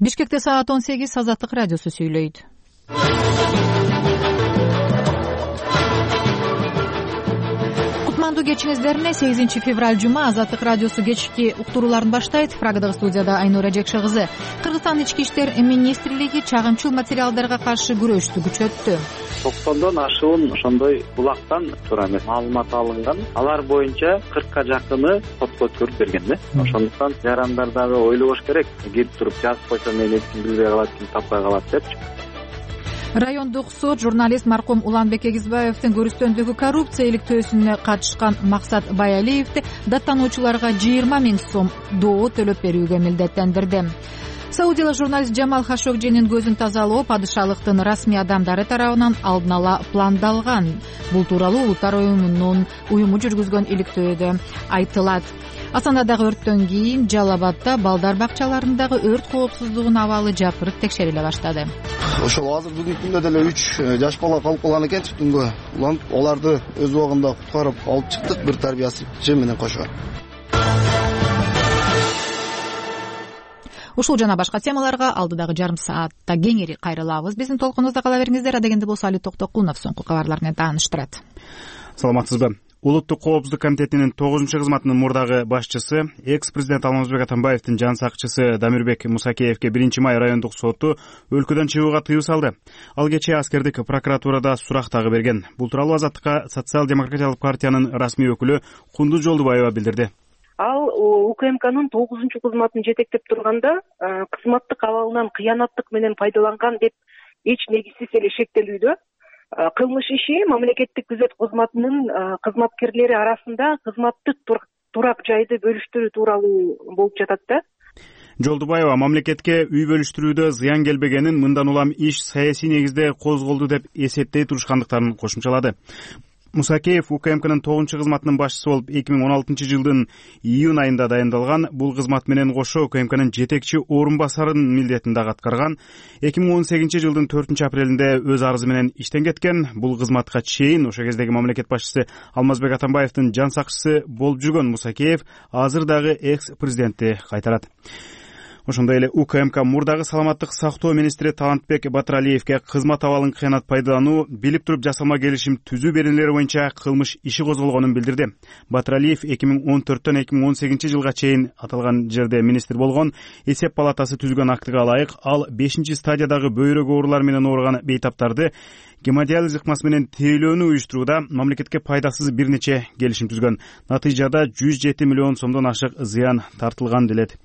Бишкекте саат 18 Азаттык радиосу сүйлөйт. Кутмандуу кечиңиздерине 8 февраль жума Азаттык радиосу кечки уктурууларын баштайт. Прагадагы студияда Айнура Жекше кызы. Кыргызстан ички иштер министрлиги чагымчыл материалдарга каршы күрөштү күчөттү. 90дон ашуун ошондой булактан туура эмес маалымат алынган. Алар боюнча 40ка жакыны сотко өткөрүп берген да. Ошондуктан жарандар дагы ойлобош керек. Келип туруп жазып койсо мен эч ким билбей калат, ким таппай калат депчи. Райондук суд журналист маркум Уланбек Эгизбаевдин көрүстөндөгү коррупция иликтөөсүнө катышкан Максат Баялиевди даттануучуларга 20 000 сом доо төлөп берүүгө милдеттендирди. Саудиялык журналист Жамал Хашогжинин көзүн тазалоо падышалыктын расмий адамдары тарабынан алдын ала пландалган. Бул тууралуу Улуттар уюму жүргүзгөн иликтөөдө айтылат. Асандадагы өрттөн кийин Жалал Абадда балдар бакчаларындагы өрт коопсуздугунун абалы жакырып текшериле баштады. Ошол азыр бүгүнкү күндө деле 3 жаш бала калып калган экен түтүнгө. Аларды өз убагында куткарып алып чыктык, бир тарбиясычы менен кошо. Ушул жана башка темаларга алдыдагы жарым саатта кеңири кайрылабыз. Биздин толкунубузда кала бериңиздер. Адегенде болсо Али Токтокулов соңку кабарлар менен тааныштырат. Саламатсызбы? Улуттук коопсуздук комитетинин 9-кызматынын мурдагы башчысы, экс-президент Алмазбек Атамбаевдин жан сакчысы Дамирбек Мусакеевге 1-май райондук соту өлкөдөн чыгууга тыюу салды. Ал кечээ аскердик прокуратурада сурак дагы берген. Бул тууралуу Азаттыкка социал-демократиялык партиянын расмий өкүлү Кундуз Жолдубаева билдирди. Ал УКМКнын 9-кызматын жетектеп турганда кызматтык абалынан кыянаттык менен пайдаланган деп эч негизсиз эле шектелүүдө. Кылмыш иши мамлекеттик күзөт кызматынын кызматкерлери арасында кызматтык турак жайды бөлүштүрүү тууралуу болуп жатат да. Жолдубаева мамлекетке үй бөлүштүрүүдө зыян келбегенин, мындан улам иш саясий негизде козголду деп эсептей турушкандыктарын кошумчалады. Мусакеев УКМКнын 9-кызматынын башчысы болуп 2016 жылдын июнь айында дайындалган. Бул кызмат менен кошо УКМКнын жетекчи орун басарынын милдетин дагы аткарган. 2018 жылдын 4-апрелинде өз арызы менен иштен кеткен. Бул кызматка чейин ошо кездеги мамлекет башчысы Алмазбек Атамбаевдин жан сакчысы болуп жүргөн Мусакеев азыр дагы экс-президентти кайтарат. Ошондой эле УКМК мурдагы саламаттык сактоо министри Талантбек Батыралиевге кызмат абалын кыянат пайдалануу, билип туруп жасалма келишим түзүү беренелери боюнча кылмыш иши козголгонун билдирди. Батыралиев 2014төн 2018 жылга чейин аталган жерде министр болгон. Эсеп палатасы түзгөн актыга ылайык ал 5-стадиядагы бөйрөк оорулары менен ооруган бейтаптарды гемодиализ ыкмасы менен тирелөөнү уюштурууда мамлекетке пайдасыз бир нече келишим түзгөн. Натыйжада 107 миллион сомдон ашык зыян тартылган делет.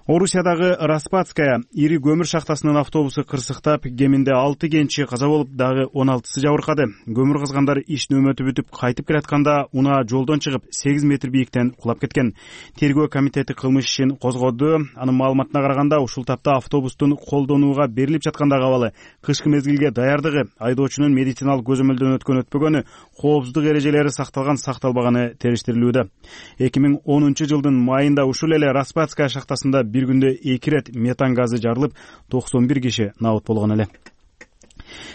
Орусиядагы Распадская ири көмүр шахтасынын автобусу кырсыктап, кеминде 6 кенчи каза болуп, дагы 16сы жабыркады. Көмүр казгандар иш нөөмөтү бүтүп кайтып келатканда унаа жолдон чыгып 8 метр бийиктен кулап кеткен. Тергөө комитети кылмыш ишин козгоду. Анын маалыматына караганда ушул тапта автобустун колдонууга берилип жаткандагы абалы, кышкы мезгилге даярдыгы, айдоочунун медициналык көзөмөлдөн өткөнү, коопсуздук эрежелери сакталган сакталбаганы териштирилүүдө. 2010 жылдын майында ушул эле Распадская шахтасында бир күндө 2 рет метан газы жарылып, 91 киши набыт болгон эле.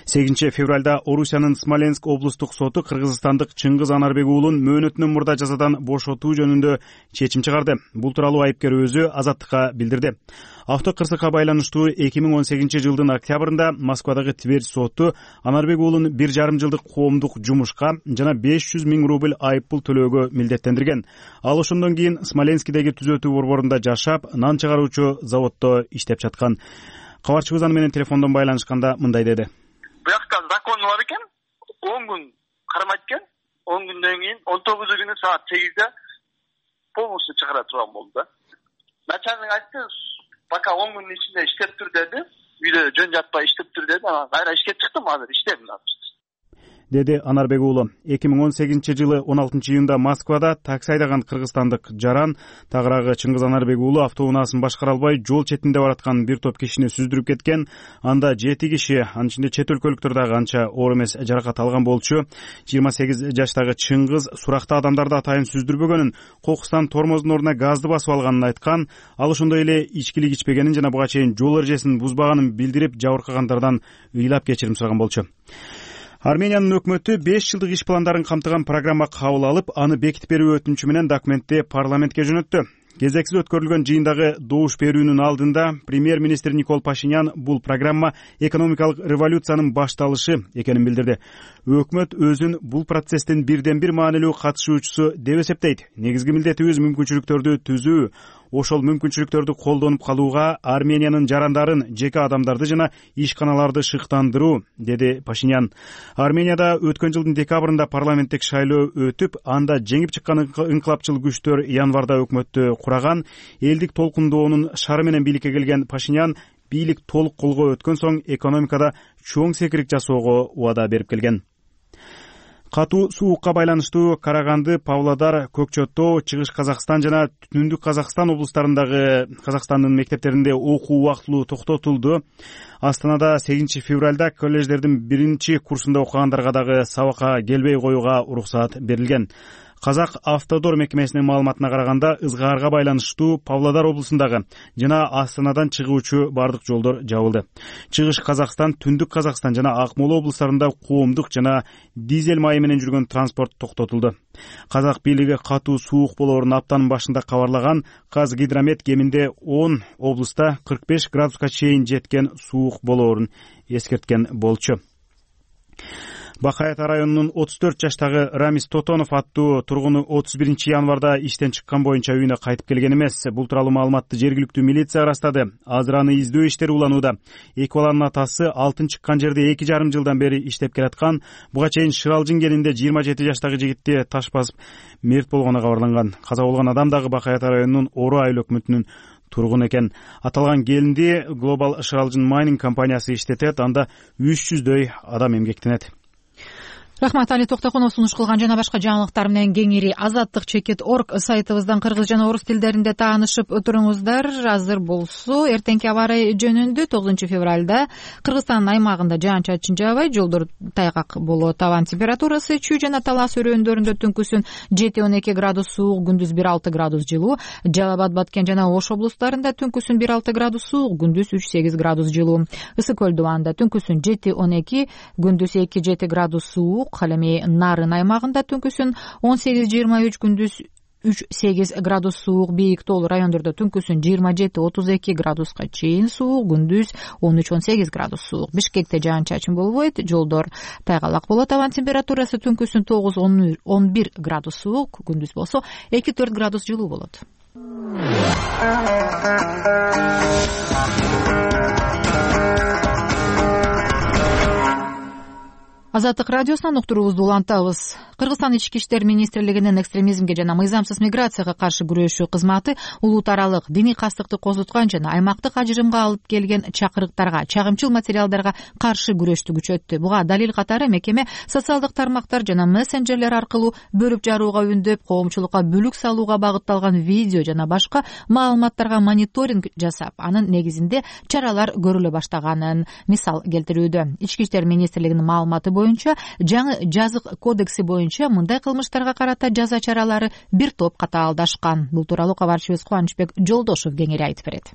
8 февралда Орусиянын Смоленск облустук соту кыргызстандык Чыңгыз Анарбек уулун мөөнөтүнөн мурда жазадан бошотуу жөнүндө чечим чыгарды. Бул тууралуу айыпкер өзү Азаттыкка билдирди. Автокырсыкка байланыштуу 2018 жылдын октябрында Москвадагы Тверь соту Анарбек уулун 1,5 жылдык коомдук жумушка жана 500 000 рубль айыппул төлөөгө милдеттендирген. Ал ошондон кийин Смоленскидеги түзөтүү борборунда жашап, нан чыгаруучу заводдо иштеп жаткан. Кабарчыбыз аны менен телефондон байланышканда мындай деди. Буякта закон бар экен, 10 күн кармайт экен. 10 күндөн кийин 19 күнү саат 8де полностью чыгара турган болду да. Начальник айтты, пока 10 күнүн ичинде иштеп тур деди. Үйдө жөн жатпай иштеп тур деди. Кайра ишке чыктым, азыр иштебин деди Анарбек уулу. 2018 жылы 16 июнда Москвада такси айдаган кыргызстандык жаран тагыраагы Чыңгыз Анарбек уулу автоунаасын башкара албай жол четинде бараткан бир топ кишини сүздүрүп кеткен. Анда 7 киши, анын ичинде чет өлкөлүктөр дагы анча оор эмес жаракат алган болчу. 28 жаштагы Чыңгыз суракта адамдарды атайын сүздүрбөгөнүн, кокустан тормоздун ордуна газды басып алганын айткан. Ал ошондой эле ичкилик ичпегенин жана буга чейин жол эрежесин бузбаганын билдирип, жабыркагандардан ыйлап кечирим сураган болчу. Армениянын өкмөтү 5 жылдык иш пландарын камтыган программа кабыл алып, аны бекитип берүү өтүнүчү менен документти парламентке жөнөттү. Кезексиз өткөрүлгөн жыйындагы добуш берүүнүн алдында премьер-министр Никол Пашинян бул программа экономикалык революциянын башталышы экенин билдирди. Өкмөт өзүн бул процесстин бирден бир маанилүү катышуучусу деп эсептейт. Негизги милдетибиз мүмкүнчүлүктөрдү түзүү, ошол мүмкүнчүлүктөрдү колдонуп калууга Армениянын жарандарын, жеке адамдарды жана ишканаларды шыктандыруу, деди Пашинян. Арменияда өткөн жылдын декабрында парламенттик шайлоо өтүп, анда жеңип чыккан инкылапчыл күчтөр январда өкмөттү кураган. Элдик толкундоонун шары менен бийликке келген Пашинян бийлик толук колго өткөн соң экономикада чоң секирик жасоого убада берип келген. Катуу суукка байланыштуу Караганды, Павлодар, Көкчө Тоо, Чыгыш Казакстан жана Түндүк Казакстан облустарындагы Казакстандын мектептеринде окуу убактылуу токтотулду. Астанада 8 февралда колледждердин 1-курсунда окугандарга дагы сабакка келбей коюуга уруксаат берилген. Казак автодор мекемесинин маалыматына караганда, ызгаарга байланыштуу Павлодар облусундагы жана Астанадан чыгуучу бардык жолдор жабылды. Чыгыш Казакстан, Түндүк Казакстан жана Акмола облустарында коомдук жана дизель майы менен жүргөн транспорт токтотулду. Казак бийлиги катуу суук болоорун аптанын башында кабарлаган. Казгидромет кеминде 10 облуста 45 градуска чейин жеткен суук болоорун эскерткен болчу. Бакай Ата районунун 34 жаштагы Рамис Тотонов аттуу тургуну 31 январда иштен чыккан боюнча үйүнө кайтып келген эмес. Бул тууралуу маалыматты жергиликтүү милиция ырастады. Азыр аны издөө иштери уланууда. Эки баланын атасы алтын чыккан жерде 2,5 жылдан бери иштеп келаткан. Буга чейин Шыралжын кенинде 27 жаштагы жигитти таш басып мерт болгону кабарланган. Каза болгон адам дагы Бакай Ата районунун Ору айыл өкмөтүнүн тургун экен. Аталган келинди Global Шыралжын Mining компаниясы иштетет. Анда 300дөй адам эмгектенет. Рахмат, Али Токтокунов сунуш кылган жана башка жаңылыктар менен кеңири azattik.org сайтыбыздан кыргыз жана орус тилдеринде таанышып туруңуздар. Азыр болсо эртеңки аба ырайы жөнүндө 9 февралда Кыргызстандын аймагында жаан-чачын жаабай, жолдор тайгак болот. Абанын температурасы Чүй жана Талас өрөөндөрүндө түнкүсүн 7-12 градус суук, күндүз 1-6 градус жылуу. Жалал Абад, Баткен жана Ош облустарында түнкүсүн 1-6 градус суук, күндүз 3-8 градус жылуу. Ысык Көл дубанында түнкүсүн 7-12, күндүз 2-7 градус суук. Ал эми Нарын аймагында түнкүсүн 18-23, күндүз 3-8 градус суук. Бийик тоолуу райондордо түнкүсүн 27-32 градуска чейин суук, күндүз 13-18 градус суук. Бишкекте жаан-чачын болбойт, жолдор тайгалак болот. Абанын температурасы түнкүсүн 9-11 градус суук, күндүз болсо 2-4 градус жылуу болот. Азаттык радиосунан уктуруубузду улантабыз. Кыргызстан ички иштер министрлигинин экстремизмге жана мыйзамсыз миграцияга каршы күрөшүү кызматы улут аралык диний кастыкты козуткан жана аймактык ажырымга алып келген чакырыктарга, чагымчыл материалдарга каршы күрөштү күчөттү. Буга далил катары мекеме социалдык тармактар жана мессенджерлер аркылуу бөлүп жарууга үндөп, коомчулукка бүлүк салууга багытталган видео жана башка маалыматтарга мониторинг жасап, анын негизинде чаралар көрүлө баштаганын мисал келтирүүдө. Ички иштер министрлигинин маалыматы боюнча, жаңы жазык кодекси боюнча мындай кылмыштарга карата жаза чаралары бир топ катаалдашкан. Бул тууралуу кабарчыбыз Кубанычбек Жолдошев кеңири айтып берет.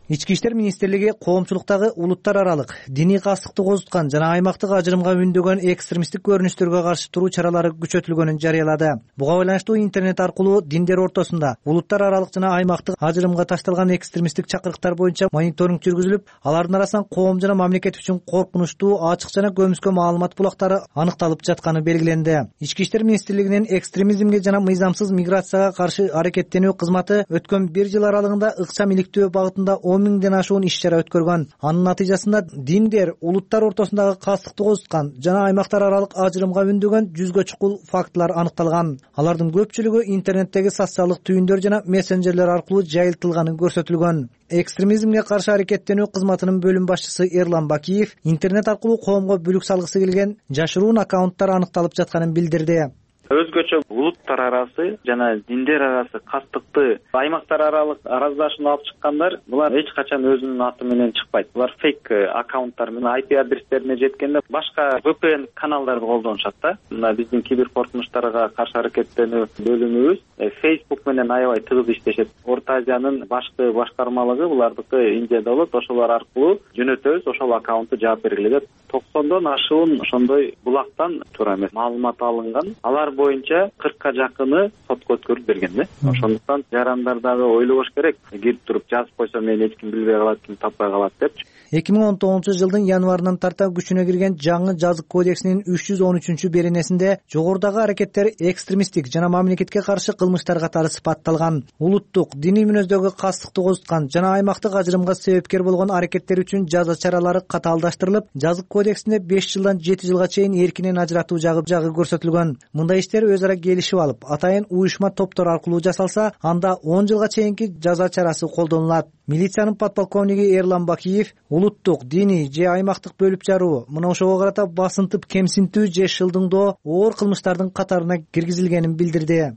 Ички иштер министрлиги коомчулуктагы улуттар аралык диний кастыкты козуткан жана аймактык ажырымга үндөгөн экстремисттик көрүнүштөргө каршы туруу чаралары күчөтүлгөнүн жарыялады. Буга байланыштуу интернет аркылуу диндер ортосунда улуттар аралык жана аймактык ажырымга ташталган экстремисттик чакырыктар боюнча мониторинг жүргүзүлүп, алардын арасынан коом жана мамлекет үчүн коркунучтуу, ачык жана көмүскө маалымат булактары аныкталып жатканы белгиленди. Ички иштер министрлигинин экстремизмге жана мыйзамсыз миграцияга каршы аракеттенүү кызматы өткөн 1 жыл аралыгында ыкчам иликтөө багытында 10 миңден ашуун иш-чара өткөргөн. Анын натыйжасында диндер, улуттар ортосундагы кастыкты козуткан жана аймактар аралык ажырымга үндөгөн 100гө чукул фактылар аныкталган. Алардын көпчүлүгү интернеттеги социалдык түйүндөр жана мессенджерлер аркылуу жайылтылганы көрсөтүлгөн. Экстремизмге каршы аракеттенүү кызматынын бөлүм башчысы Эрлан Бакиев интернет аркылуу коомго бүлүк салгысы келген жашыруун аккаунттар аныкталып жатканын билдирди. Өзгөчө улуттар арасы жана диндер арасы кастыкты аймактар аралык араздашууну алып чыккандар, булар эч качан өзүнүн аты менен чыкпайт. Булар фейк аккаунттар менен IP адрестерине жеткенде башка VPN каналдарды колдонушат да. Мына биздин кибер коркунучтарга каршы аракеттенүү бөлүмүбүз Facebook менен аябай тыгыз иштешет. Орто Азиянын башкы башкармалыгы булардыкы Индияда болот, ошолор аркылуу жөнөтөбүз, ошол аккаунтту жаап бергиле деп 90дон ашуун ошондой булактан туура эмес маалымат алынган. Алар боюнча 40ка жакыны сотко өткөрүп берген да. Ошондуктан жарандар дагы ойлобош керек. Кирип туруп жазып койсо мени эч ким билбей калат, ким таппай калат депчи. 2019-жылдын январынан тарта күчүнө кирген жаңы жазык кодексинин 313-беренесинде жогорудагы аракеттер экстремисттик жана мамлекетке каршы кылмыштар катары сыпатталган. Улуттук, диний мүнөздөгү кастыкты козуткан жана аймактык ажырымга себепкер болгон аракеттер үчүн жаза чаралары катаалдаштырылып, жазык кодексинде 5 жылдан 7 жылга чейин эркинен ажыратуу жагы көрсөтүлгөн. Мындай иштер өз ара келишип алып, атайын уюшма топтор аркылуу жасалса, анда 10 жылга чейинки жаза чарасы колдонулат. Милициянын подполковниги Эрлан Бакиев улуттук, диний же аймактык бөлүп жаруу, мына ошого карата басынтып кемсинтүү же шылдыңдоо оор кылмыштардын катарына киргизилгенин билдирди.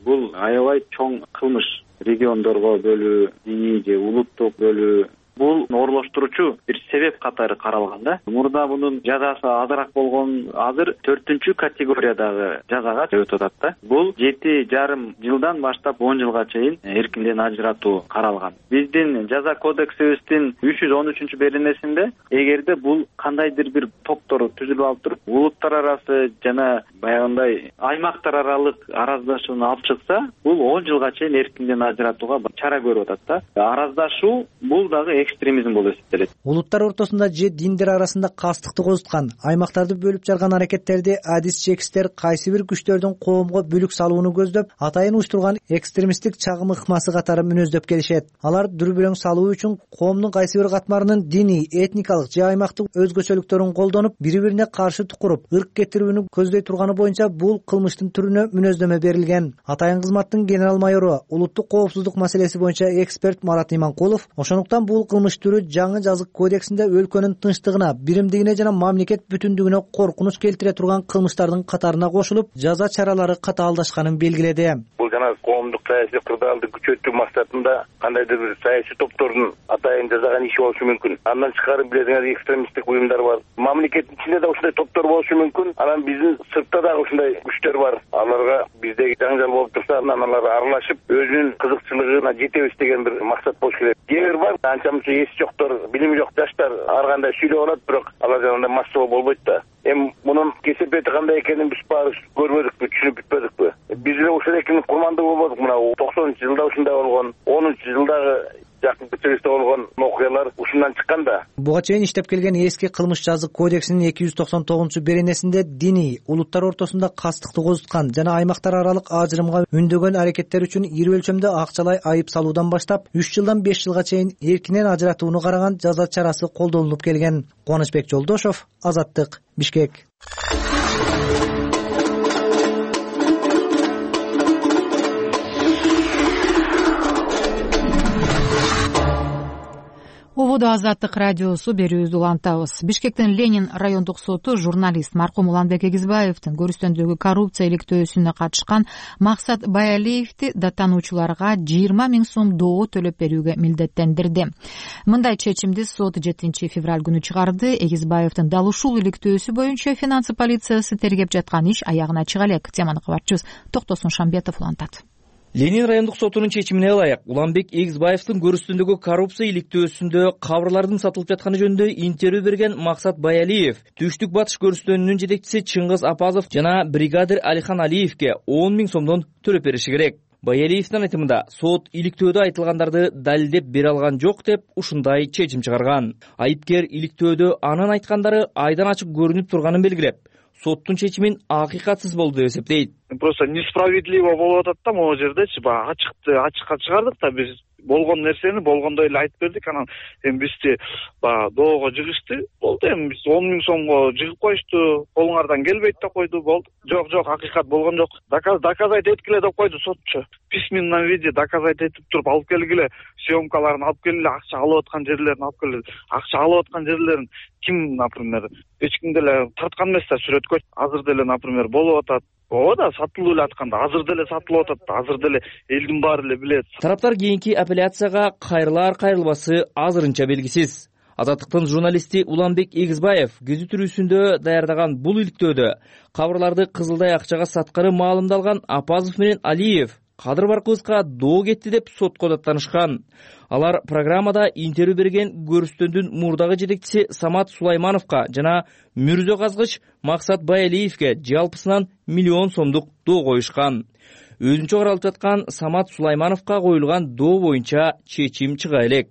Бул аябай чоң кылмыш. Региондорго бөлүү, диний же улуттук бөлүү, бул оорлоштуруучу бир себеп катары каралган да. Мурда мунун жазасы азыраак болгон, азыр 4-категориядагы жазага өтүп атат да. Бул 7,5 жылдан баштап 10 жылга чейин эркинден ажыратуу каралган. Биздин жаза кодексибиздин 313-беренесинде эгерде бул кандайдыр бир топтор түзүлүп алып туруп, улуттар арасы жана баягындай аймактар аралык араздашууну алып чыкса, бул 10 жылга чейин эркинден ажыратууга чара көрүп атат да. Араздашуу бул дагы экстремизм болуп эсептелет. Улуттар ортосунда же диндер арасында кастыкты козуткан, аймактарды бөлүп жарган аракеттерди адис чекистер кайсы бир күчтөрдүн коомго бүлүк салууну көздөп, атайын уюштурган экстремисттик чагым ыкмасы катары мүнөздөп келишет. Алар дүрбүлөң салуу үчүн коомдун кайсы бир катмарынын диний, этникалык же аймактык өзгөчөлүктөрүн колдонуп, бири-бирине каршы тукуруп, ырк кетирүүнү көздөй турганы боюнча бул кылмыштын түрүнө мүнөздөмө берилген. Атайын кызматтын генерал майору, улуттук коопсуздук маселеси боюнча эксперт Марат Иманкулов, ошондуктан бул кылмыш түрү жаңы жазык кодексинде өлкөнүн тынчтыгына, биримдигине жана мамлекет бүтүндүгүнө коркунуч келтире турган кылмыштардын катарына кошулуп, жаза чаралары катаалдашканын белгиледи. Бул жана коомдук саясий кырдаалды күчөтүү максатында кандайдыр бир саясий топтордун атайын жасаган иши болушу мүмкүн. Андан тышкары билесиңер, экстремисттик уюмдар бар. Мамлекеттин ичинде да ушундай топтор болушу мүмкүн. Анан биздин сыртта дагы ушундай күчтөр бар. Аларга биздеги жаңжал болуп турса, анан алар аралашып, өзүнүн кызыкчылыгына жетебиз деген бир максат болуш керек. Кээ бар, анча-мынча эси жоктор, билими жок жаштар ар кандай сүйлөп алат, бирок алар жанагындай массовый болбойт да. Мунун кесепети кандай экенин биз баары көрбөдүкпү, түшүнүп бүтпөдүкпү. Биз эле ушул экенин курмандуу болбодук. Мына 90-жылда ушундай болгон, 10-жылдагы жакынкы чыгышта болгон окуялар ушундан чыккан да. Буга чейин иштеп келген эски кылмыш жазык кодексинин 299-беренесинде диний, улуттар ортосунда кастыкты козуткан жана аймактар аралык ажырымга үндөгөн аракеттер үчүн ири өлчөмдө акчалай айып салуудан баштап 3 жылдан 5 жылга чейин эркинен ажыратууну караган жаза чарасы колдонулуп келген. Кубанычбек Жолдошов, Азаттык, Бишкек. Ободо Азаттык радиосу берүүбүздү улантабыз. Бишкектин Ленин райондук соту журналист маркум Уланбек Эгизбаевдин көрүстөндөгү коррупция иликтөөсүнө катышкан Максат Баялиевди даттануучуларга 20 000 сом доо төлөп берүүгө милдеттендирди. Мындай чечимди сот 7 февраль күнү чыгарды. Эгизбаевдин дал ушул иликтөөсү боюнча финансы полициясы тергеп жаткан иш аягына чыга элек. Теманы кабарчыбыз Токтосун Шамбетов улантат. Ленин райондук сотунун чечимине ылайык Уланбек Эгизбаевдин көрүстөндөгү коррупция иликтөөсүндө кабырлардын сатылып жатканы жөнүндө интервью берген Максат Баялиев, Түштүк Батыш көрүстөөнүнүн жетекчиси Чыңгыз Апазов жана бригадир Алихан Алиевке 10 000 сомдон төлөп бериши керек. Баялиевдин айтымында сот иликтөөдө айтылгандарды далилдеп бере алган жок деп ушундай чечим чыгарган. Айыпкер иликтөөдө анын айткандары айдан ачык көрүнүп турганын белгилеп, соттун чечимин акыйкатсыз болду деп эсептейт. Просто несправедливо болуп атат да могу жердечи. Баягы ачыкка чыгардык да, биз болгон нерсени болгондой эле айтып бердик. Анан бизди баягы доого жыгышты. Болду, биз 10 000 сомго жыгып коюшту. Колуңардан келбейт деп койду. Болду. Жок, акыйкат болгон жок. Доказать эткиле деп койду сотчу. В письменном виде доказать этип туруп алып келгиле, съемкаларын алып келгиле, акча алып аткан жерлерин алып келгиле. Акча алып аткан жерлерин ким, например, эч ким деле тарткан эмес да сүрөткө. Азыр деле, например, болуп атат. Ооба, сатылып эле атканда, азыр деле сатылып атат да, азыр деле элдин баары эле билет. Тараптар кийинки апелляцияга кайрылар кайрылбасы азырынча белгисиз. Азаттыктын журналисти Уланбек Эгизбаев гезит-түрүүсүндө даярдаган бул иликтөөдө кабырларды кызылдай акчага сатканы маалымдалган Апазов менен Алиев Кадыр Баркыбызга доо кетти деп сотко даттанышкан. Алар программада интервью берген көрүстөндүн мурдагы жетекчиси Самат Сулаймановго жана мүрзө казгыч Максат Баялиевге жалпысынан миллион сомдук доо коюшкан. Өзүнчө каралып жаткан Самат Сулаймановго коюлган доо боюнча чечим чыга элек.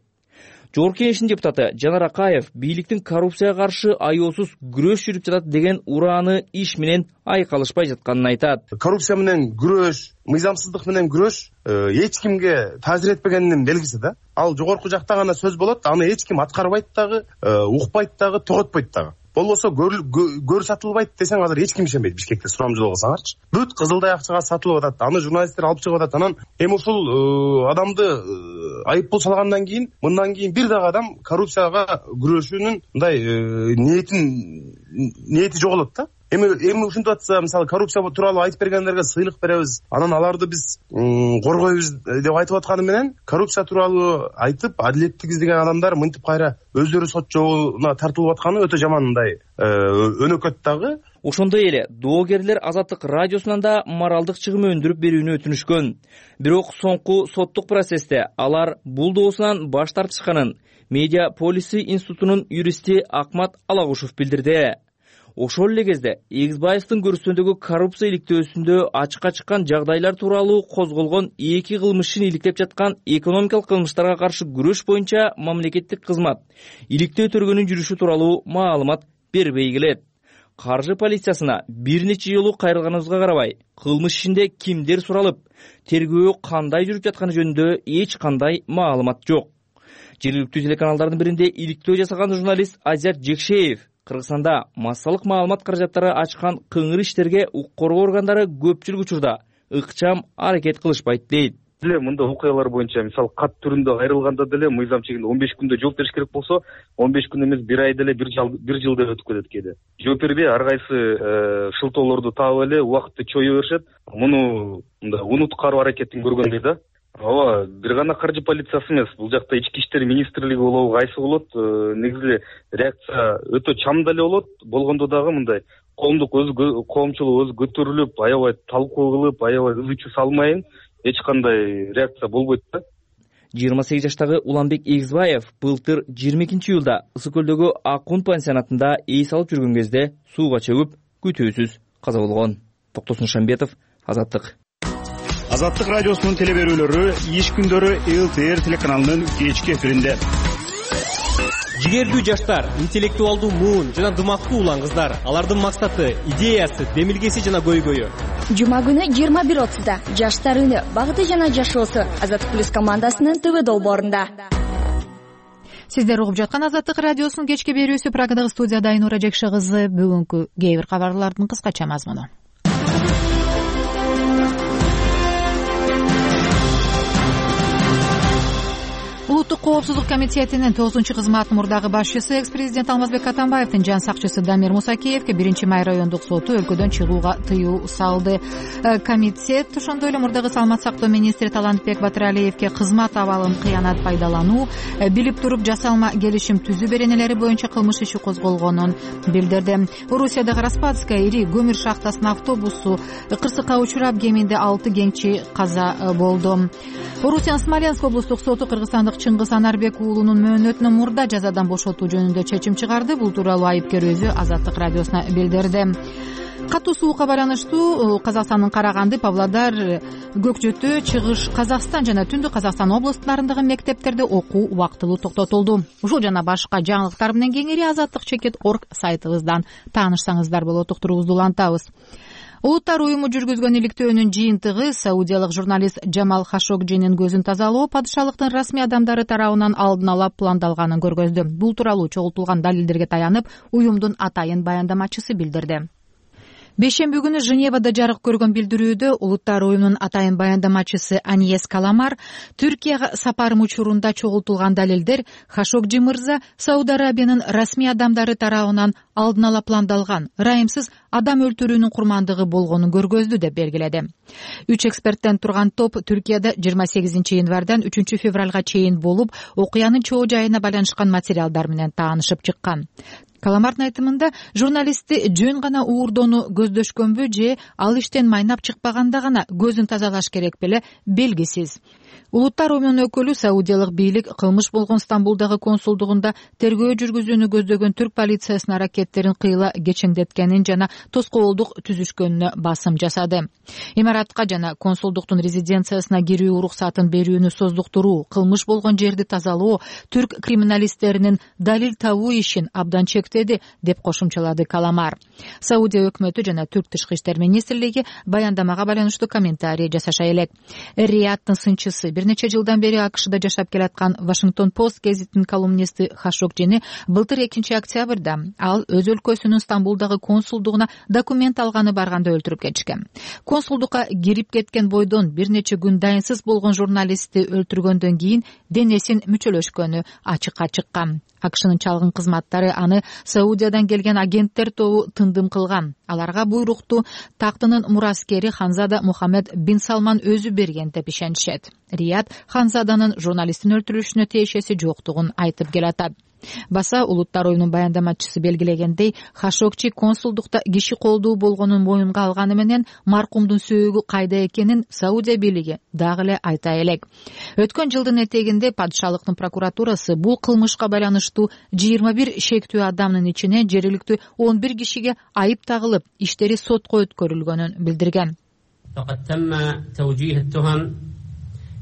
Жогорку Кеңештин депутаты Жанар Акаев бийликтин коррупцияга каршы аеосуз күрөш жүрүп жатат деген урааны иш менен айкалышпай жатканын айтат. Коррупция менен күрөш, мыйзамсыздык менен күрөш эч кимге таасир этпегенинин белгиси да. Ал жогорку жакта гана сөз болот, аны эч ким аткарбайт дагы, укпайт дагы, тоготпойт дагы. Болбосо көр сатылбайт десең азыр эч ким ишенбейт. Бишкекте сурамжылоо кылсаңарчы. Бүт Кызылдай акчага сатылып атат. Аны журналисттер алып чыгып атат. Анан эми ушул адамды айыппул салгандан кийин, мындан кийин бир дагы адам коррупцияга күрөшүүнүн мындай ниети жоголот да. Эми ушинтип атса, мисалы коррупция тууралуу айтып бергендерге сыйлык беребиз, анан аларды биз коргойбуз деп айтып атканы менен коррупция тууралуу айтып адилеттик издеген адамдар мынтип кайра өздөрү сот жолуна тартылып атканы өтө жаман мындай өнөкөт дагы. Ошондой эле доогерлер Азаттык радиосунан да моралдык чыгым өндүрүп берүүнү өтүнүшкөн. Бирок соңку соттук процессте алар бул доосунан баш тартышканын Медиа Полиси институтунун юристи Акмат Алагушев билдирди. Ошол эле кезде Эгизбаевдин көрүстөндөгү коррупция иликтөөсүндө ачыкка чыккан жагдайлар тууралуу козголгон 2 кылмыш ишин иликтеп жаткан экономикалык кылмыштарга каршы күрөш боюнча мамлекеттик кызмат иликтөө төрөгөнүн жүрүшү тууралуу маалымат бербей келет. Каржы полициясына бир нече жолу кайрылганыбызга карабай, кылмыш ишинде кимдер суралып, тергөө кандай жүрүп жатканы жөнүндө эч кандай маалымат жок. Жергиликтүү телеканалдардын биринде иликтөө жасаган журналист Азят Жекшеев Кыргызстанда массалык маалымат каражаттары ачкан кыңыр иштерге укук коргоо органдары көпчүлүк учурда ыкчам аракет кылышпайт дейт. Мында окуялар боюнча мисалы кат түрүндө кайрылганда деле мыйзам чегинде 15 күндө жооп бериш керек болсо, 15 күн эмес 1 ай деле 1 жыл деп өтүп кетет кээде. Жооп бербей ар кайсы шылтоолорду таап эле убакытты чое беришет. Муну мында унуткаруу аракетин көргөндөй да. Ооба, бир гана каржы полициясы эмес, бул жакта ички иштер министрлиги болобу, кайсы болот, негизи реакция өтө чам деле болот. Болгондо дагы мындай коомчулук өзү көтөрүлүп, аябай талкуу кылып, аябай ызы-чуу салмайын эч кандай реакция болбойт да. 28 жаштагы Уланбек Эгизбаев былтыр 22-июлда Ысык көлдөгү Акун пансионатында эс алып жүргөн кезде сууга чөгүп, күтүүсүз каза болгон. Токтосун Шамбетов, Азаттык. Азаттык радиосунун телеберүүлөрү иш күндөрү ЛТР телеканалынын кечки эфиринде. Жигердүү жаштар, интеллектуалдуу муун жана дымактуу улан кыздар. Алардын максаты, идеясы, демилгеси жана көйгөйү. Жума күнү 21:30да Жаштар үнү, багыты жана жашоосу Азаттык плюс командасынын ТВ долбоорунда. Сиздер угуп жаткан Азаттык радиосунун кечки берүүсү. Программадагы студияда Айнура Жекше кызы. Бүгүнкү кээ бир кабарлардын кыскача мазмуну. Улуттук коопсуздук комитетинин 9-кызматтын мурдагы башчысы экс-президент Алмазбек Атамбаевдин жан сакчысы Дамир Мусакеевге 1-май райондук соту өлкөдөн чыгууга тыюу салды. Комитет ошондой эле мурдагы саламат сактоо министри Талантбек Батыралиевге кызмат абалын кыянат пайдалануу, билип туруп жасалма келишим түзүү беренелери боюнча кылмыш иши козголгонун билдирди. Орусиядагы Распадская ири көмүр шахтасынын автобусу кырсыкка учурап, кеминде 6 кеңчи каза болду. Орусиянын Смоленск облустук соту кыргызстандык Чыңгыз Анарбек уулунун мөөнөтүнө мурда жазадан бошотуу жөнүндө чечим чыгарды. Бул тууралуу айыпкер өзү Азаттык радиосуна билдирди. Катуу суукка байланыштуу Казакстандын Караганды, Павлодар, Көкчөтү, Чыгыш Казакстан жана Түндүк Казакстан областтарындагы мектептерде окуу убактылуу токтотулду. Ушул жана башка жаңылыктар менен кеңири azattik.org сайтыбыздан таанышсаңыздар болот. Уктуруубузду улантабыз. Улуттар уюму жүргүзгөн иликтөөнүн жыйынтыгы саудиялык журналист Джамал Хашогджинин көзүн тазалоо падышалыктын расмий адамдары тарабынан алдын ала пландалганын көргөздү. Бул тууралуу чогултулган далилдерге таянып, уюмдун атайын баяндамачысы билдирди. Бейшемби күнү Женевада жарык көргөн билдирүүдө Улуттар уюмунун атайын баяндамачысы Аньес Каламар Түркияга сапарым учурунда чогултулган далилдер Хашогджи мырза Сауд Арабиянын расмий адамдары тарабынан алдын ала пландалган, ырайымсыз адам өлтүрүүнүн курмандыгы болгонун көргөздү деп белгиледи. 3 эксперттен турган топ Түркияда 28 январдан 3 февралга чейин болуп, окуянын чоо жайына байланышкан материалдар менен таанышып чыккан. Каламардын айтымында журналистти жөн гана уурдоону көздөшкөнбү же ал иштен майнап чыкпаганда гана көзүн тазалаш керек беле белгисиз. Улуттар уюмунун өкүлү саудиялык бийлик кылмыш болгон Стамбулдагы консулдугунда тергөө жүргүзүүнү көздөгөн түрк полициясынын аракеттерин кыйла кечеңдеткенин жана тоскоолдук түзүшкөнүнө басым жасады. Имаратка жана консулдуктун резиденциясына кирүү уруксатын берүүнү создуктуруу, кылмыш болгон жерди тазалоо түрк криминалисттеринин далил табуу ишин абдан чектеди деп кошумчалады Каламар. Саудия өкмөтү жана түрк тышкы иштер министрлиги баяндамага байланыштуу комментарий жасаша элек. Риядтын сынчысы бир нече жылдан бери АКШда жашап келаткан Вашингтон Пост гезитинин колумнисти Хашокжини былтыр 2-октябрда ал өз өлкөсүнүн Стамбулдагы консулдугуна документ алганы барганда өлтүрүп кетишкен. Консулдукка кирип кеткен бойдон бир нече күн дайынсыз болгон журналистти өлтүргөндөн кийин денесин мүчөлөшкөнү ачыкка чыккан. АКШнын чалгын кызматтары аны Саудиядан келген агенттер тобу тындым кылган. Аларга буйрукту тактынын мураскери Ханзада Мухаммед бин Салман өзү берген деп ишенишет. Рияд Ханзаданын журналисттин өлтүрүлүшүнө тиешеси жоктугун айтып келатат. Баса улуттар оюнунун баяндамачысы белгилегендей, Хашокчи консулдукта киши колдуу болгонун моюнга алганы менен маркумдун сөөгү кайда экенин Саудия бийлиги дагы эле айта элек. Өткөн жылдын этегинде падышалыктын прокуратурасы бул кылмышка байланыштуу 21 шектүү адамдын ичине жергиликтүү 11 кишиге айып тагылып, иштери сотко өткөрүлгөнүн билдирген.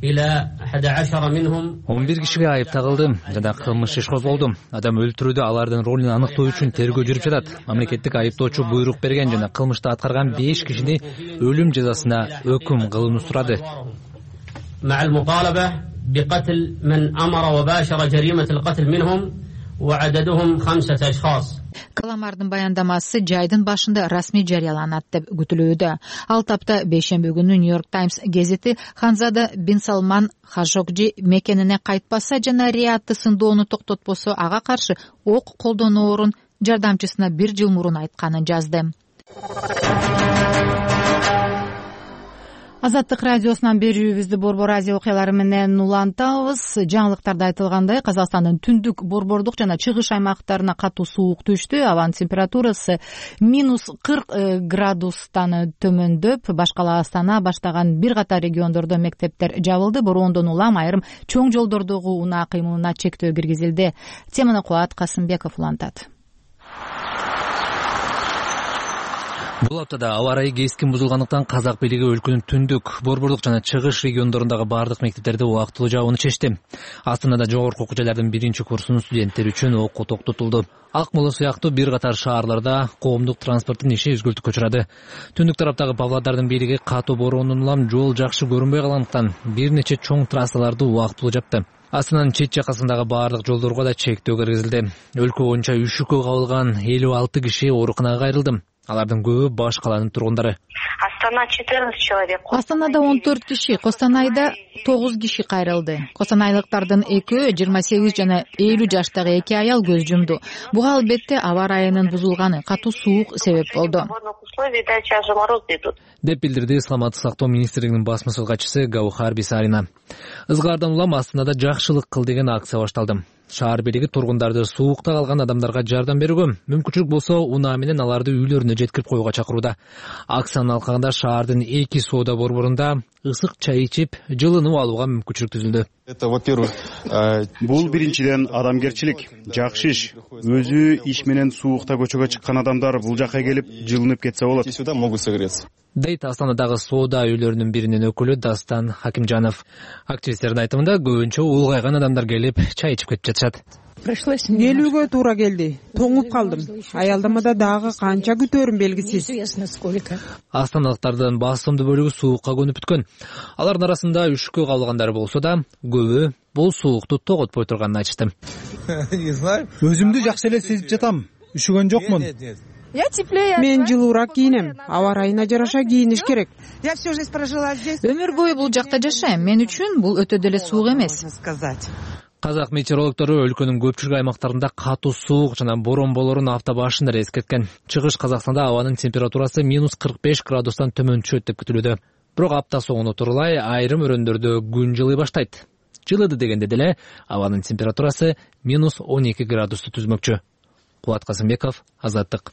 11 кишиге айып тагылды жана кылмыш иш козголду. Адам өлтүрүүдө алардын ролун аныктоо үчүн тергөө жүрүп жатат. Мамлекеттик айыптоочу буйрук берген жана кылмышты аткарган 5 кишини өлүм жазасына өкүм кылууну сурады. Каламардын баяндамасы жайдын башында расмий жарыяланат деп күтүлүүдө. Ал тапта бейшемби күнү Нью-Йорк Таймс гезити Ханзада бин Салман Хашокжи мекенине кайтпаса жана Риядты сындоону токтотпосо ага каршы ок колдоноорун жардамчысына 1 жыл мурун айтканын жазды. Азаттык радиосунан берүүбүздү Борбор Азия окуялары менен улантабыз. Жаңылыктарда айтылгандай, Казакстандын түндүк, борбордук жана чыгыш аймактарына катуу суук түштү. Абанын температурасы -40 градустан төмөндөп, башкала Астана баштаган бир катар региондордо мектептер жабылды. Бороондон улам айрым чоң жолдордогу унаа кыймылына чектөө киргизилди. Теманы Кубат Касымбеков улантат. Бул аптада аба ырайы кескин бузулгандыктан казак бийлиги өлкөнүн түндүк, борбордук жана чыгыш региондорундагы бардык мектептерде убактылуу жабууну чечти. Астанада жогорку окуу жайлардын 1-курсунун студенттери үчүн окуу токтотулду. Ак Моло сыяктуу бир катар шаарларда коомдук транспорттун иши үзгүлтүккө учурады. Түндүк тараптагы Павлодардын бийлиги катуу бороондон улам жол жакшы көрүнбөй калгандыктан бир нече чоң трассаларды убактылуу жапты. Астананын чет жакасындагы бардык жолдорго да чектөө киргизилди. Өлкө боюнча үшүккө кабылган 56 киши ооруканага кайрылды. Алардын көбү баш калаанын тургундары. Астана 14 человек. Астанада 14 киши, Костанайда 9 киши кайрылды. Костанайлыктардын 2, 28 жана 50 жаштагы 2 аял көз жумду. Буга албетте аба ырайынын бузулганы, катуу суук себеп болду. Деп билдирди Саламаттык сактоо министрлигинин басма катчысы Гаухар Бисарина. Ызгаардан улам Астанада жакшылык кыл деген акция башталды. Шаар бийлиги тургундарды суукта калган адамдарга жардам берүүгө, мүмкүнчүлүк болсо унаа менен аларды үйлөрүнө жеткирип коюуга чакырууда. Акциянын алкагында шаардын 2 соода борборунда ысык чай ичип, жылынып алууга мүмкүнчүлүк түзүлдү. Бул биринчиден адамгерчилик, жакшы иш. Өзү иш менен суукта көчөгө чыккан адамдар бул жакка келип, жылынып кетсе болот. Дейт Астанадагы соода үйлөрүнүн биринин өкүлү Дастан Хакимжанов. Активисттердин айтымында көбүнчө улгайган адамдар келип, чай ичип кетип жатышат. Келүүгө туура келди. Тоңуп калдым. Аялдамада дагы канча күтөөрүм белгисиз. Астаналыктардын басымдуу бөлүгү суукка көнүп бүткөн. Алардын арасында үшүккө кабылгандар болсо да, көбү бул суукту тоготпой турганын айтышты. Өзүмдү жакшы эле сезип жатам. Үшүгөн жокмун. Мен жылуураак кийинем. Аба ырайына жараша кийиниш керек. Өмүр бою бул жакта жашайм. Мен үчүн бул өтө деле суук эмес. Казак метеорологтору өлкөнүн көпчүлүк аймактарында катуу суук жана борон болорун апта башында эскерткен. Чыгыш Казакстанда абанын температурасы -45 градустан төмөн түшөт деп күтүлүүдө. Бирок апта соңуна турулай айрым өрөөндөрдө күн жылый баштайт. Жылыды дегенде деле абанын температурасы -12 градусту түзмөкчү. Кубат Касымбеков, Азаттык.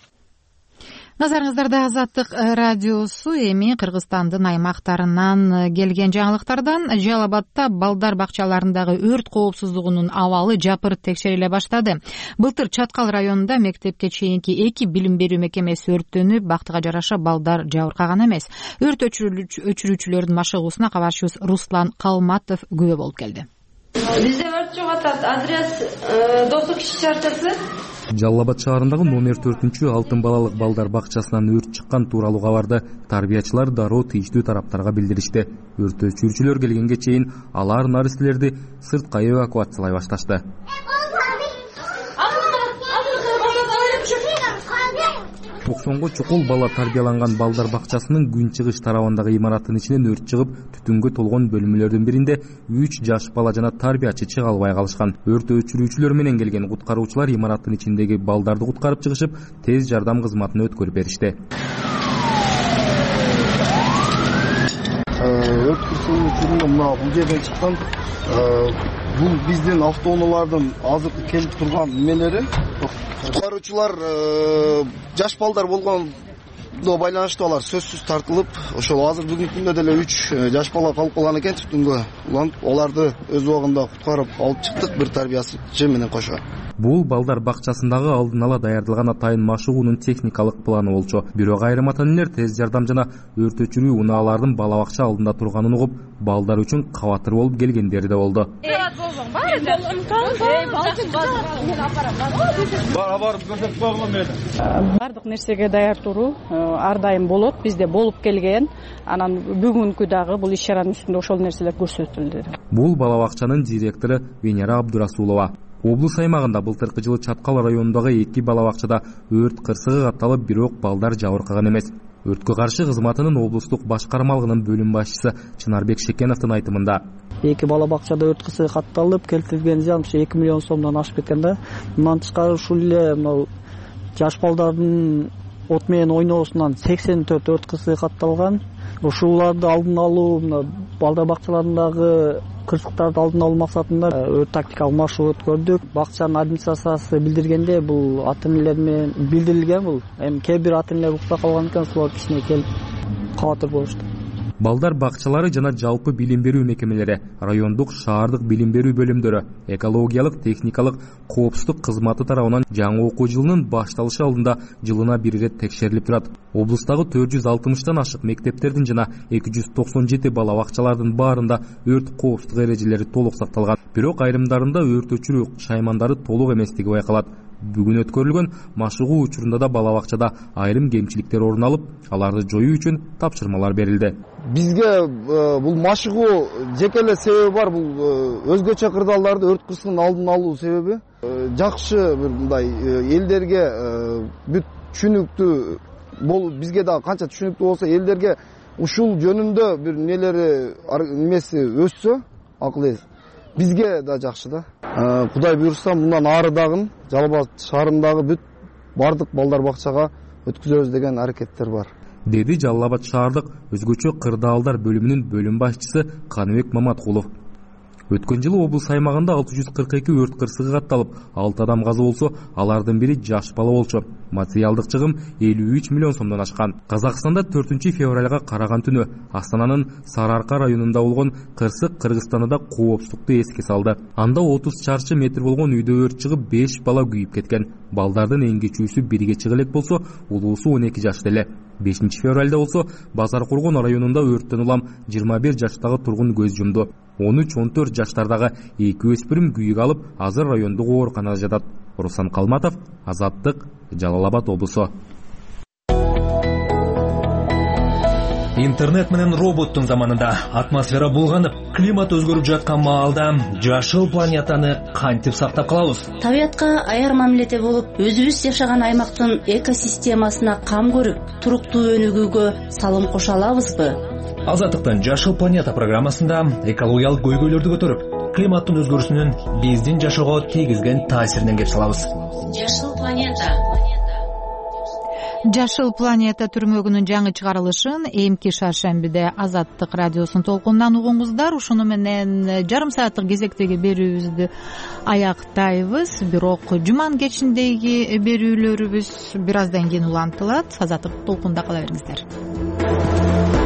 Назарыңыздарда Азаттык радиосу. Эми Кыргызстандын аймактарынан келген жаңылыктардан. Жалал Абадта балдар бакчаларындагы өрт коопсуздугунун абалы жапырт текшериле баштады. Былтыр Чаткал районунда мектепке чейинки 2 билим берүү мекемеси өрттөнүп, бактыга жараша балдар жабыркаган эмес. Өрт өчүрүүчүлөрдүн машыгуусуна кабарчыбыз Руслан Калматов күбө болуп келди. Бизде өрт жок атат. Адрес 9 киши чарчасы. Жалал Абад шаарындагы номер 4 алтын балалык балдар бакчасынан өрт чыккан тууралуу кабарды тарбиячылар дароо тийиштүү тараптарга билдиришти. Өрт өчүрүүчүлөр келгенге чейин алар наристелерди сыртка эвакуациялай башташты. Токсонго чукул бала тарбияланган балдар бакчасынын күн чыгыш тарабындагы имараттын ичинен өрт чыгып, түтүнгө толгон бөлмөлөрдүн биринде 3 жаш бала жана тарбиячы чыга албай калышкан. Өрт өчүрүүчүлөр менен келген куткаруучулар имараттын ичиндеги балдарды куткарып чыгышып, тез жардам кызматына өткөрүп беришти. Өрт кырсыгы мына бул жерден чыккан. Бул биздин автоунаалардын азыркы келип турган немелери. Куткаруучулар жаш балдар болгондо байланыштуу алар сөзсүз тартылып, ошол азыр бүгүнкү күндө деле 3 жаш бала калып калган экен түтүнгө. Уланып, аларды өз убагында куткарып алып чыктык бир тарбиячы менен кошо. Бул балдар бакчасындагы алдын ала даярдалган атайын машыгуунун техникалык планы болчу. Бирок айрым ата-энелер тез жардам жана өрт өчүрүү унаалардын бала бакча алдында турганын угуп, балдар үчүн кабатыр болуп келгендери да болду. Бардык нерсеге даяр туруу ар дайым болот. Бизде болуп келген. Анан бүгүнкү дагы бул иш-чаранын үстүндө ошол нерселер көрсөтүлдү. Бул бала бакчанын директору Венера Абдурасулова. Облус аймагында былтыркы жылы Чаткал районундагы 2 бала бакчада өрт кырсыгы катталып, бирок балдар жабыркаган эмес. Өрткө каршы кызматынын облустук башкармалыгынын бөлүм башчысы Чынарбек Шекеновдун айтымында 2 бала бакчада өрт кырсыгы катталып, келтирилген зыян 2 миллион сомдон ашып кеткен да. Мындан тышкары ушул эле мына жаш балдардын от менен ойноосунан 84 өрт кырсыгы катталган. Ушуларды алдын алуу, мына балдар бакчаларындагы кырсыктарды алдын алуу максатында өрт тактикалык маршрут өткөрдүк. Бакчанын администрациясы билдиргенде бул ата-энелер менен билдирилген бул. Эми кээ бир ата-энелер укта калган экен, ошолор кичине келип кабатыр болушту. Балдар бакчалары жана жалпы билим берүү мекемелери, райондук, шаардык билим берүү бөлүмдөрү, экологиялык, техникалык коопсуздук кызматы тарабынан жаңы окуу жылынын башталышы алдында жылына бир ирет текшерилип турат. Облустагы 460тан ашык мектептердин жана 297 бала бакчалардын баарында өрт коопсуздук эрежелери толук сакталган. Бирок айрымдарында өрт өчүрүү шаймандары толук эместиги байкалат. Бүгүн өткөрүлгөн машыгуу учурунда да бала бакчада айрым кемчиликтер орун алып, аларды жоюу үчүн тапшырмалар берилди. Бизге бул машыгуу жеке эле себеби бар. Бул өзгөчө кырдаалдарды өрт кырсыгынын алдын алуу себеби. Жакшы бир мындай элдерге бүт түшүнүктүү болуп, бизге да канча түшүнүктүү болсо, элдерге ушул жөнүндө бир немеси өссө, акыл эс. Бизге да жакшы да. Кудай буйрса, мындан ары дагы Жалал Абад шаарындагы бүт бардык балдар бакчага өткүзөбүз деген аракеттер бар. Деди Жалал Абад шаардык өзгөчө кырдаалдар бөлүмүнүн бөлүм башчысы Каныбек Маматкулов. Өткөн жылы облус аймагында 642 өрт кырсыгы катталып, 6 адам каза болсо, алардын бири жаш бала болчу. Материалдык чыгым 53 миллион сомдон ашкан. Казакстанда 4 февралга караган түнү Астананын Сарыарка районунда болгон кырсык Кыргызстанда да коопсуздукту эске салды. Анда 30 чарчы метр болгон үйдө өрт чыгып, 5 бала күйүп кеткен. Балдардын эң кичүүсү 1 чыга элек болсо, улуусу 12 жашта эле. 5 февралда болсо, Базар Кургон районунда өрттөн улам 21 жаштагы тургун көз жумду. 13-14 жаштардагы 2 өспүрүм күйүк алып, азыр райондук ооруканада жатат. Руслан Калматов, Азаттык, Жалал Абад облусу. Интернет менен роботтун заманында атмосфера булганып, климат өзгөрүп жаткан маалда жашыл планетаны кантип сактап калабыз? Табиятка аяр мамиледе болуп, өзүбүз жашаган аймактын экосистемасына кам көрүп, туруктуу өнүгүүгө салым кошо алабызбы? Азаттыктын Жашыл планета программасында экологиялык көйгөйлөрдү көтөрүп, климаттын өзгөрүүсүнүн биздин жашоого тийгизген таасиринен кеп салабыз. Жашыл планета. Жашыл планета түрмөгүнүн жаңы чыгарылышын эмки шаршембиде Азаттык радиосунун толкунунан угуңуздар. Ушуну менен жарым сааттык кезектеги берүүбүздү аяктайбыз. Бирок жуманын кечиндеги берүүлөрүбүз бир аздан кийин улантылат. Азаттык толкунда кала бериңиздер.